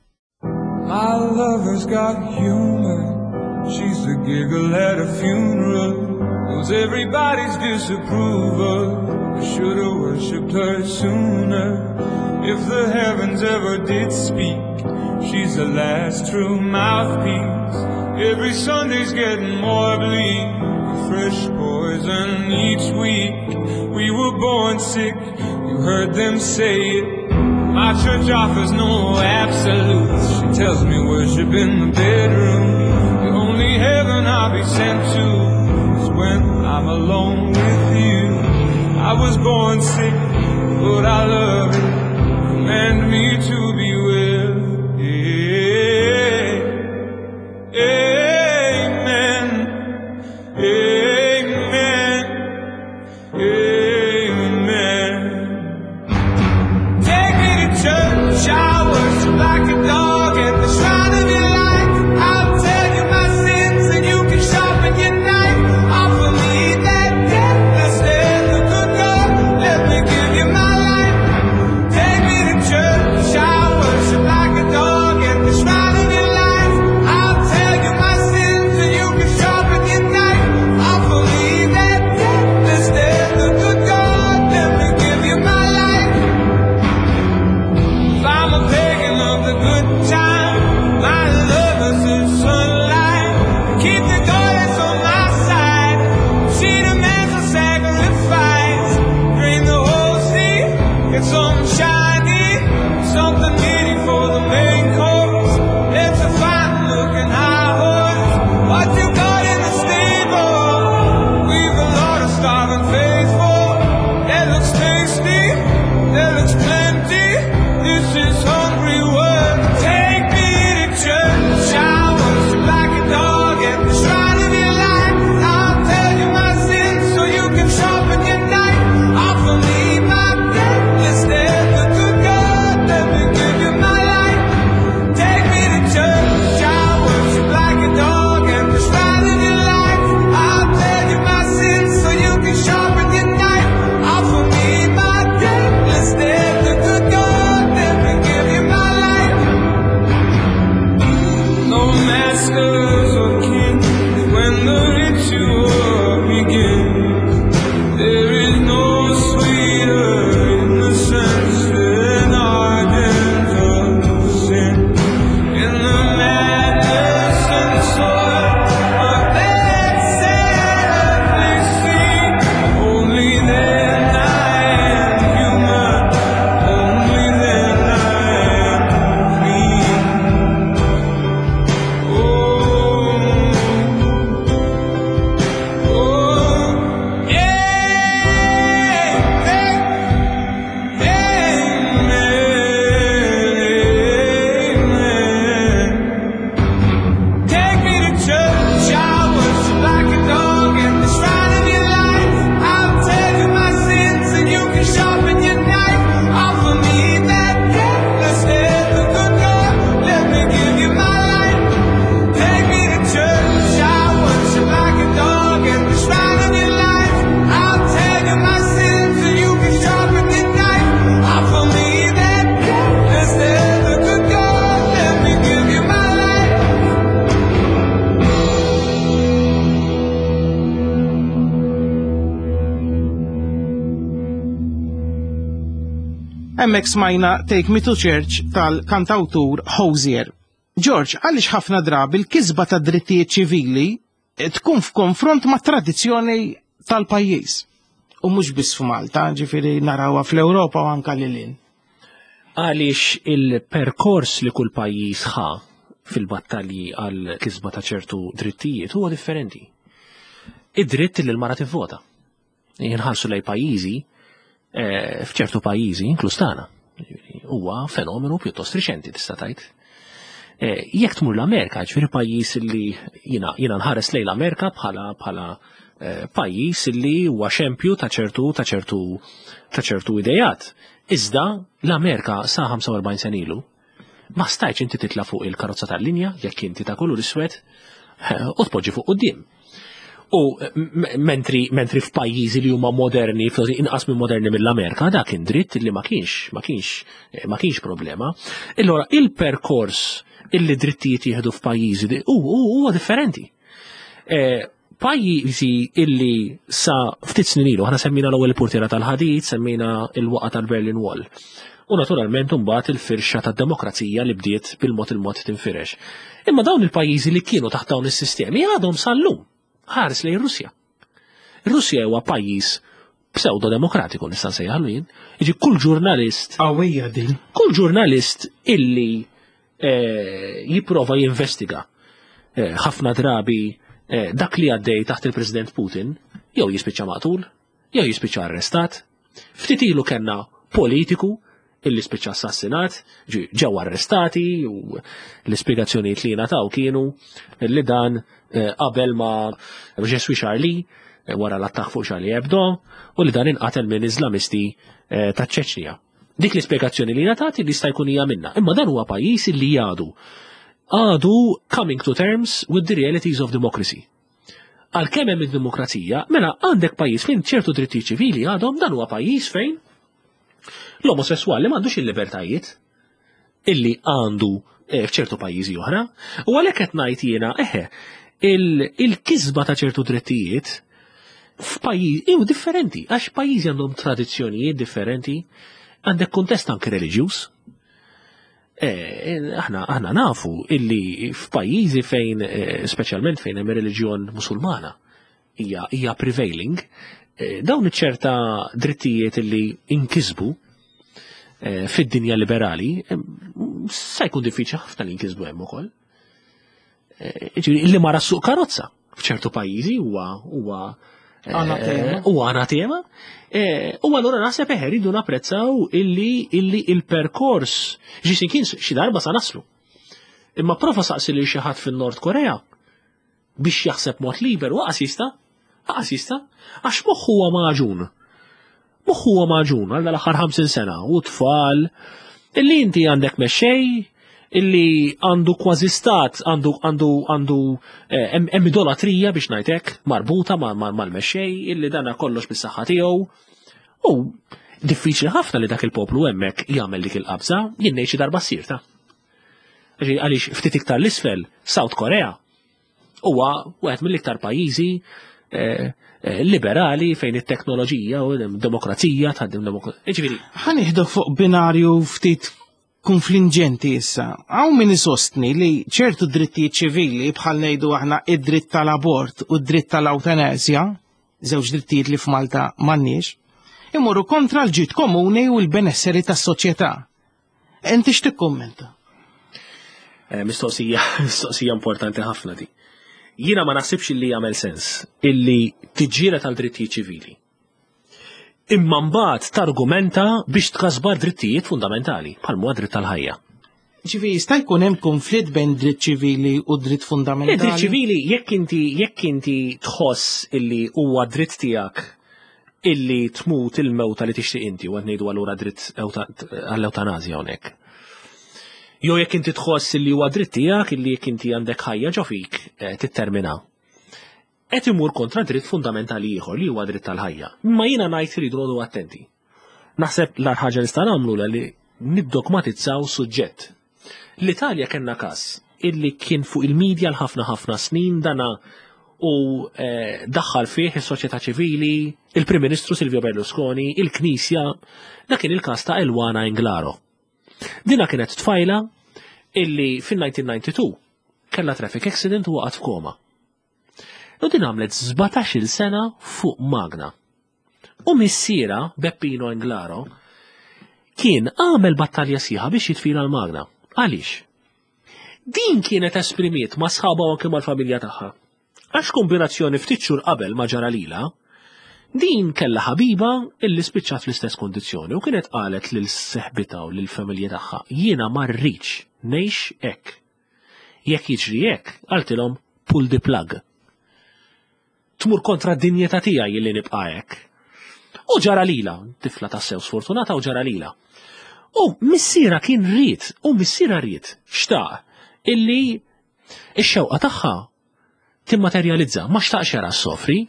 My lover's got humor. She's the giggle at a funeral. Knows everybody's disapproval. I should've worshipped her sooner. If the heavens ever did speak, she's the last true mouthpiece. Every Sunday's getting more bleak. A fresh poison each week. We were born sick, you heard them say it. My church offers no absolutes. She tells me worship in the bedroom. The only heaven I'll be sent to is when I'm alone with you. I was born sick, but I love it. Command me to be well. Yeah. Amen. Amen. Hemmhekk smajna Take Me to Church tal-kantawtur Hozier. George, għaliex ħafna drabi l-kisba ta' drittijiet ċivili tkun f'konfront ma' tradizzjoni tal-pajjiż. U mhux biss f'Malta, ġifieri narawha fl-Ewropa u anka lil hinn. Għaliex il-perkors li kull pajjiż ħa fil-battalji għal kisba ta' ċertu drittijiet huwa differenti. Id-dritt li l-mara tivvota. Jinħarsu lej pajjiżi, f'ċertu pajjiżi, inkluż tagħna. Huwa fenomenu pjuttost riċenti tista' tgħid. Jekk tmur l-Amerika, ġifieri pajjiż li jiena nħares lejn l-Amerika bħala pajjiż li huwa xempju ta' ċertu ta' ċertu ta' ċertu idejat. Iżda l-Amerika sa 45 sena ilu ma stajtx inti titla' fuq il-karozza tal-linja jekk inti ta' kulur iswed u tpoġġi fuq quddiem. U mentri f'pajjiżi li huma moderni, forsi inqas minn moderni mill-Amerika, dak kien dritt li ma kienx problema. Allora il-perkors illi drittijiet jieħdu f'pajjiżi huwa differenti. Pajjiżi illi sa ftit snin ilu, aħna semmina l-ewwel portiera tal-ħadid, semmina il-waqa tal-Berlin Wall. U naturalment imbagħad il-firxa tad-demokrazija li bdiet bil-mod il-mod tinfirex. Imma dawn il-pajjiżi li kienu taħt dawn is-sistemi għadhom sal-lum. Ħares lejn Russja. Russja huwa pajjiż pseudo-demokratiku nista' nsejjaħlu jien. Jiġi kull ġurnalist Qawwija din. Kull ġurnalist illi jipprova jinvestiga ħafna drabi dak li għaddej taħt il-President Putin, jew jispiċċa maqtul, jew jispiċċa arrestat. Ftit ilu kellna politiku illi spiċċa assassinat, ġew arrestati u l-ispjegazzjonijiet li ngħataw kienu li dan qabel ma Je suis Charlie, wara l-attakk fuq Charlie Hebdo, u li dan inqatel minn Islamisti ta' Ċeċnija. Dik l-ispjegazzjoni li ngħatat li jista' jkun hija minna. Imma dan huwa pajjiż li għadu coming to terms with the realities of democracy. Għalkemm hemm id-demokrazija, mela għandek pajjiż fejn ċertu drittijiet ċivili għadhom, dan huwa pajjiż fejn l-omosessuali m'għandux il-libertajiet illi għandu f'ċertu pajjiżi oħra. U għalhekk qed ngħid jiena, eħe, il-kisba ta' ċertu drittijiet f'pajjiż hu differenti, għax pajjiżi għandhom tradizzjonijiet differenti, għandek kuntest anke reliġjuż. Aħna nafu illi f'pajjiżi fejn, speċjalment fejn hemm reliġjon Musulmana, hija prevailing, dawn iċ-ċerta drittijiet illi inkisbu fid-dinja liberali, sa jkun diffiċli ħafna li inkisbu hemm ukoll. Ġifieri, illi mara ssuq karozza f'ċertu pajjiżi huwa Anatema. Huwa anatema. U allura naħseb eħe rridu napprezzaw illi il-perkors ġisin kien xi darba sa naslu. Imma prova saqsi lil xi ħadd fin-Nord Korea biex jaħseb mod liberu, għas jista', għas jista', għax moħħu huwa maġun. Moħħu huwa maġun għal l-aħħar 50 sena u tfal illi inti għandek mexxej illi għandu kważi stat, għandu hemm idolatrija biex ngħidlek marbuta mal-mexxej illi dana kollox bis-saħħa tiegħu. U diffiċli ħafna li dak il-poplu hemmhekk jagħmel dik il-qabża, jien ngħid xi darba ssir ta'. Għaliex ftit iktar l-isfel, South Korea huwa wieħed mill-iktar pajjiżi liberali fejn it-teknoloġija u demokrazija tħaddem demokrazija. Ġifieri. Ħa nieħdu fuq binarju ftit konfliġġenti issa. Hawn min isostni li ċertu drittijiet ċivili bħal ngħidu aħna id-dritt tal-abort u d-dritt tal-awtanasja, żewġ drittijiet li f'Malta m'għandniex, imorru kontra l-ġid komuni u l-benesseri tas-soċjetà. Inti x'tikkummenta? Mistoqsija importanti ħafna di. Jiena ma naħsibx illi jagħmel sens illi tiġġieled għal drittijiet ċivili. Imma mbagħad targumenta biex tkasbar drittijiet fundamentali bħal huwa dritt tal-ħajja. Ġifieri jista' jkun hemm konflitt bejn dritt ċivili u dritt fundamentali? Dritt ċivili jekk inti tħoss illi huwa dritt tiegħek illi tmut il-mewta li tixtieq inti, u qed ngħidu allura dritt għall-ewtanazja hawnhekk. Jew jekk inti tħoss illi huwa dritt tiegħek illi jekk inti għandek ħajja ġo fik tittermina. Qed imur kontra dritt fundamentali ieħor li huwa dritt tal-ħajja. Imma jiena ngħid iridu noqogħdu attenti. Naħseb l-agħar ħaġa li nistgħu nagħmlu li niddogmatizzaw suġġett. L-Italja kellna każ illi kien fuq il-medja l-ħafna ħafna snin dana u eh, daħħal fih is-soċjetà ċivili, il-Prim Ministru Silvio Berlusconi, il-Knisja, dak kien il-każ ta' Elwana Englaro. Dina kienet tfajla illi fin-1992 kellha traffic accident u waqgħet f'koma. U din għamlet 17-il sena fuq magna. U missiera, Beppino Englaro, kien għamel battalja sħiħa biex jitfila l-magna. Għaliex? Din kienet esprimiet ma' sħabha u anke mal-familja tagħha. Għax kombinazzjoni ftit xhur qabel ma ġara lilha, din kellha ħabiba illi spiċċat fl-istess kondizzjoni u kienet qalet lil seħbitha u lill-familja tagħha, jiena ma rridx ngħix hekk. Jekk jiġri hekk, qaltilhom pull the plug. Tmur kontra d-dinjità tiegħi illi nibqa' hekk. U ġara lila, tifla tassew sfortunata u ġara lila. U missiera kien ried, u missiera ried, xtaq, illi ix-xewqa tagħha timmaterjalizza, ma xtaqx jara s-sofri.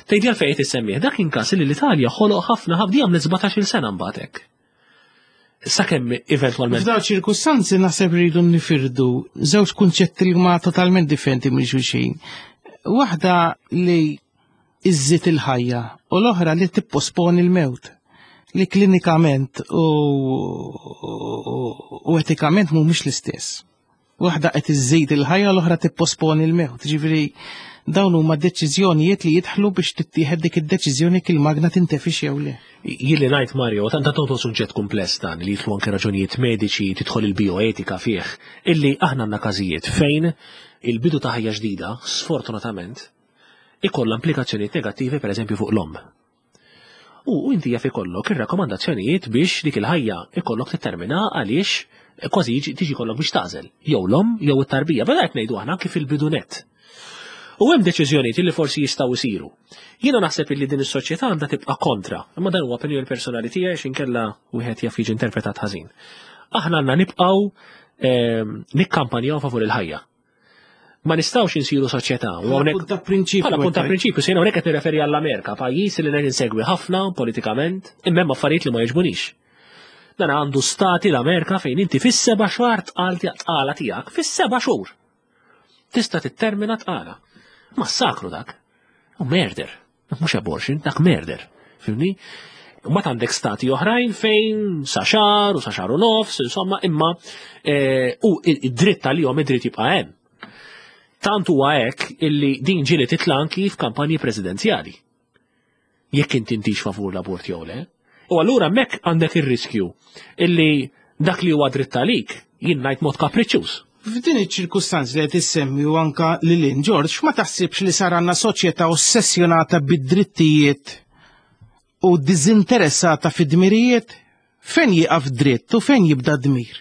Tgħidli għalfejn qed issemmih, dak kien każ li l-Italja ħoloq ħafna ħabdi għamlet 17-il sena mbagħad hekk. Sakemm eventwalment. F'dawn ċirkustanzi naħseb rridu nifirdu żewġ kunċetti li huma totalment differenti minn xulxin. Waħda li iżżid il-ħajja u l-oħra li tipposponi l-mewt li klinikament u, u etikament mhumiex l-istess. Waħda qed iżżid il-ħajja l-oħra tipposponi l-mewt. Ġifieri dawn huma deċiżjonijiet li jidħlu biex tittieħed dik id-deċiżjoni kil magna tintefix jew le. Jilli ngħid Mario, tant tant suġġett kumpless dan li jidħlu anke raġunijiet mediċi, tidħol il-bioetika fih, illi aħna għandna każijiet fejn il-bidu ta' ħajja ġdida, sfortunatament, ikollha implikazzjonijiet negattivi pereżempju fuq l-omm. U inti jaf ikollok ir-rakkomandazzjonijiet biex dik il-ħajja ikollok tittermina għaliex kważi tiġi kollok biex tażel, jew l-omm jew it-tarbija, beda qed ngħidu aħna kif il-bidu net. U hemm deċiżjonijiet li forsi jistgħu jsiru. Jiena naħseb li din is-soċjetà għandha tibqa' kontra, imma dan huwa opinjoni personali tiegħi għax inkella wieħed jaf jiġi interpretat ħażin. Aħna għandna nibqgħu ehm, nikkampanjaw favur il-ħajja. Ma nistgħux insiru soċjetà. U hawnhekk punt ta' prinċipju. Bħala punt ta' prinċipju, sejna hawnhekk qed nirreferi għall-Amerika, pajjiż li qed insegwi ħafna politikament, imma hemm affarijiet li ma jogħġbunix. Dan għandu stati l-Amerika fejn inti fis-seba' xahar tqal tqala tiegħek, fis-seba' xhur. Tista' tittermina tqala. Massakru dak. U murder. Mhux abortion, dak murder. Fimni? Ma għandek stati oħrajn fejn sa xar u sa xar u nofs, insomma, imma eh, u id-dritt tal-jom id-dritt jibqa' hemm. Tant huwa hekk illi din ġieli titla' anki f'kampanji presidenzjali. Jekk inti intix favur l-abort jew le. U allura hemmhekk għandek ir-riskju illi dak li huwa dritt għalik jien ngħid mod kapriċċjuż. F'din iċ-ċirkustanzi li qed issemmi u anka lil hinn George, ma taħsibx li sar għandna soċjetà ossessjonata bid-drittijiet u diżinteressata fid-dmirijiet? Fejn jieqaf dritt u fejn jibda dmir?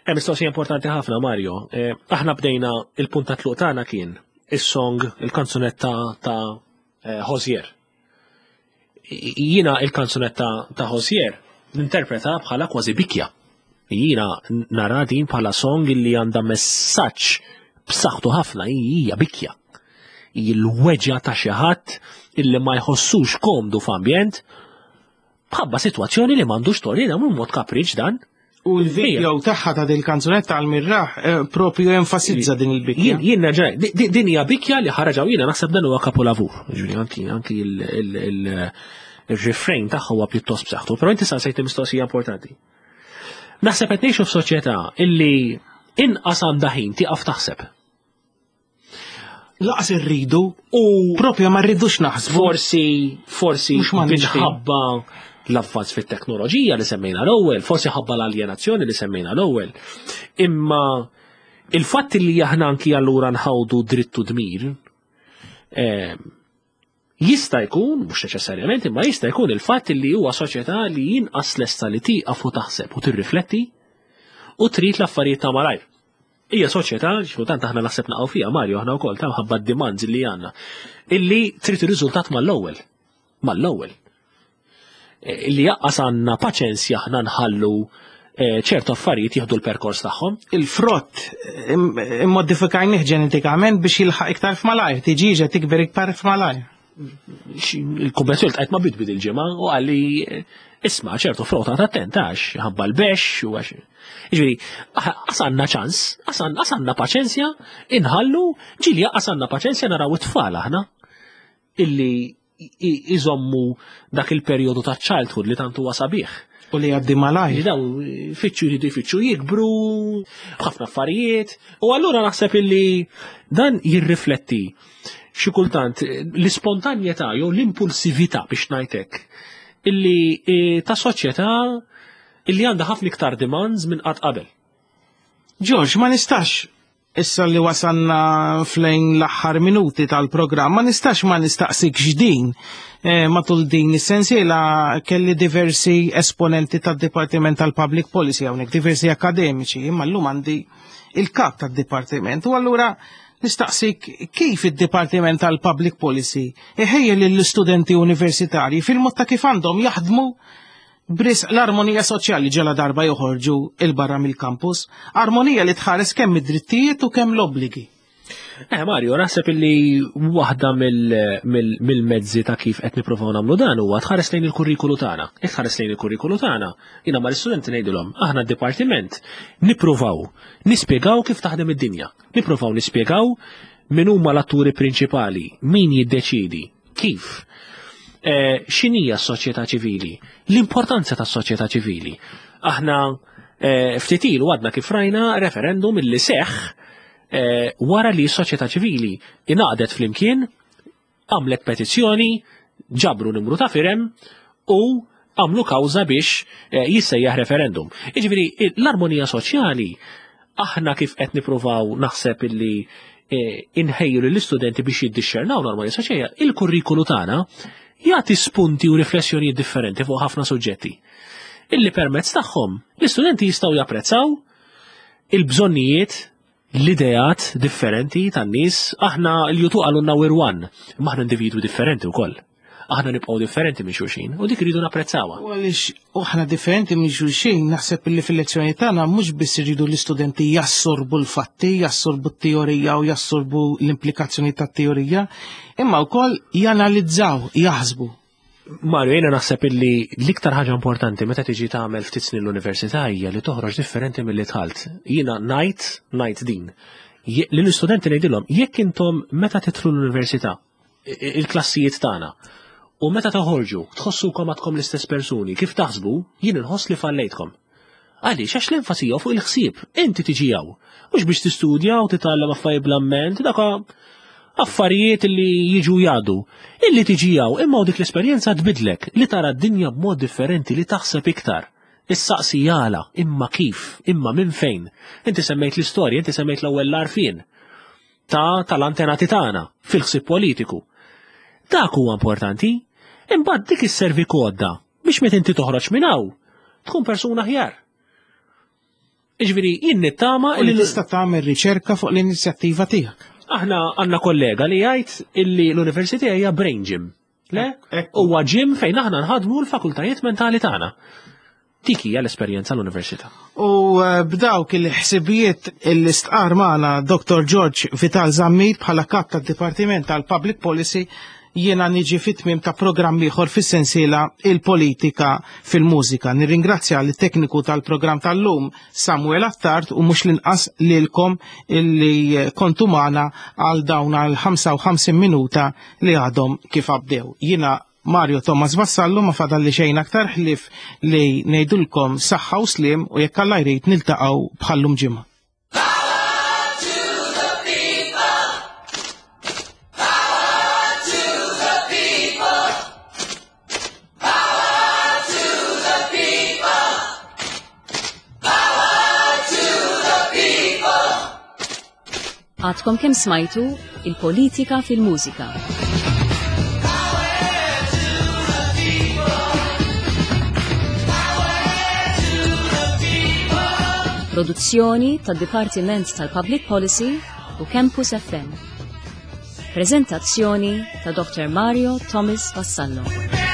Hemm mistoqsija importanti ħafna, Mario. Eh, aħna bdejna il-punt ta' tluq tagħna kien is-song, il-kanzunetta ta' eh, Hozier. Jiena il-kanzunetta ta' Hozier ninterpreta bħala kważi bikja. Jiena nara din bħala song li għandha messaġġ b'saħħtu ħafna hija bikja. Il-weġa ta' xi ħadd illi ma jħossux komdu f'ambjent bħabba sitwazzjoni li m'għandux torina mhu mod kapriċ dan. U l-video tagħha ta' din kanzunetta għal mirraħ eh, propju enfasizza din il-bikja. Jien nerġa' din hija bikja li ħaraġaw jiena naħseb dan huwa kapolavur. Ġifieri anki anki il-refrain tagħha huwa pjuttost b'saħħtu, però inti saqsejt mistoqsija importanti. Naħseb qed ngħixu f'soċjetà illi inqas għandha ħin tieqaf taħseb. Laqas irridu u propju ma rridux naħsbu. Forsi, forsi minħabba l-avvanz fit-teknoloġija li semmejna l-ewwel, forsi ħabba l-aljenazzjoni li semmejna l-ewwel. Imma il-fatt li aħna anki allura nħawdu drittu dmir, eh, jista' jkun, mhux neċessarjament, imma jista' jkun il-fatt li huwa soċjetà li jinqas lesta li tieqaf u taħseb u tirrifletti u trid l-affarijiet ta' malajr. Hija soċjetà, xi aħna naħseb naqgħu fiha Mario aħna wkoll ta' mħabba d-demands li għandna, illi trid ir-riżultat mal-ewwel. Mal-ewwel. E, illi jaqqas għandna paċenzja aħna nħallu e, ċertu affarijiet jieħdu l-perkors tagħhom. Il-frott immodifikajnih ġenetikament biex jilħaq iktar f'malajr, tiġiġa tikber iktar f'malajr. Il-kummissjoni tqajt ma bidbid il-ġimgħa u għalli Isma' ċertu frota ta' attenta għax ħabba l-bex u għax. Ġifieri, għasanna ċans, għasanna paċenzja, inħallu, ġieli għasanna paċenzja naraw it-tfal aħna illi iżommu dak il-perjodu ta' childhood li tant huwa sabiħ. U li għaddi malajr. Daw fitxu jridu jfittxu jikbru, b'ħafna affarijiet. U allura naħseb illi dan jirrifletti xi kultant l-ispontanjetà jew l-impulsività biex ngħidlek illi ta' soċjetà illi għandha ħafna iktar demands minn qatt qabel. George, ma nistax issa li wasanna flejn l-aħħar minuti tal-programm, ma nistax ma nistaqsik x'din. Matul din is-sensiela kelli diversi esponenti tad-Dipartiment tal-Public Policy hawnhekk, diversi akademiċi, imma llum għandi il-kap tad-Dipartiment. U allura nistaqsik kif id-Dipartiment tal-Public Policy iħejjel lill-istudenti universitarji fil-mod ta' kif għandhom jaħdmu bris l-armonija soċjali ġela darba joħorġu il-barra mill-kampus, armonija li tħares kemm id-drittijiet u kemm l-obbligi. Mario, naħseb illi waħda mill-mezzi ta' kif qed nippruvaw nagħmlu dan huwa tħares lejn il-kurrikulu tagħna. Jekk tħares lejn il-kurrikulu tagħna, jiena mal-istudenti ngħidilhom, aħna d-dipartiment nippruvaw nispjegaw kif taħdem id-dinja. Nippruvaw nispjegaw min huma l-atturi prinċipali, min jiddeċidi, kif. X'inhija s-soċjetà ċivili, l-importanza tas-soċjetà ċivili. Aħna ftit ilu għadna kif rajna referendum illi seħħ wara li s-soċjetà ċivili ingħaqdet flimkien, għamlet petizzjoni, ġabru numru ta' firem u għamlu kawża biex jissejjaħ referendum. Jiġifieri l-armonija soċjali aħna kif qed nippruvaw naħseb illi inħejju lill-istudenti biex jiddixxernaw l-armonija soċjali, il-kurrikulu tagħna jagħti spunti u riflessjonijiet differenti fuq ħafna suġġetti. Illi permezz tagħhom l-istudenti jistgħu japprezzaw il-bżonnijiet, l-ideat differenti tan-nies. Aħna l-jutu għalunna we're one, imma aħna individwi differenti wkoll. Aħna nibqgħu differenti minn xulxin u dik iridu napprezzawha. U għaliex aħna differenti minn xulxin, naħseb li fil-lezzjoni tagħna mhux biss iridu l-istudenti jassorbu l-fatti, jassorbu t-teorija u jassorbu l-implikazzjoni tat-teorija, imma wkoll janalizzaw, jaħsbu. Mario, jiena naħseb illi l-iktar ħaġa importanti meta tiġi tagħmel ftit snin l-università hija li toħroġ differenti milli dħalt. Jiena ngħid din. Lill-istudenti ngħidilhom, jekk intom meta tidħlu l-università, il-klassijiet tagħna, u meta toħorġu tħossukom għadkom l-istess persuni, kif taħsbu, jien inħoss li fallejtkom. Għaliex, għax l-enfasi hija fuq il-ħsieb, inti tiġi hawn. Mhux biex tistudja u titgħallem affarijiet bl-amment, dak affarijiet li jiġu jgħaddu. Illi tiġi hawn, imma dik l-esperjenza tbidlek, li tara d-dinja b'mod differenti, li taħseb iktar. Issaqsi jala, imma kif, imma minn fejn. Inti semmejt l-istorja, inti semmejt l-ewwel l-għarfien tal-antenati tagħna fil-ħsieb politiku. Dak huwa importanti, imbagħad dik isservi kodda biex meta inti toħroġ minn hawn tkun persuna aħjar. Jiġifieri jien nittama U li tista' tagħmel riċerka fuq l-inizjattiva tiegħek. Aħna għandna kollega li jgħid illi l-università hija brain gym. Le? Ekku. Huwa gym fejn aħna nħadmu l-fakultajiet mentali tagħna. Dik hija l-esperjenza l-università. U b'dawk il-ħsibijiet il-istqar magħna Dr. George Vital Zammit bħala kap tad-Dipartiment tal-Public Policy, jiena niġi fit-tmiem ta' programm ieħor fis-sensiela Il-Politika fil-Mużika. Nirringrazzja lit-tekniku tal-programm tal-lum Samuel Attard u mhux l-inqas lilkom illi kontu magħna għal dawn għal 55 minuta li għadhom kif għabdew. Jiena Mario Thomas Vassallo ma fadalli xejn aktar ħlief li ngħidulkom saħħa u sliem u jekk Alla jrid niltaqgħu bħallum ġimgħa. Għadkom kemm smajtu il-politika fil-mużika. Produzzjoni tad-Dipartiment tal-Public Policy u Campus FM. Prezentazzjoni ta' Dr. Mario Thomas Vassallo.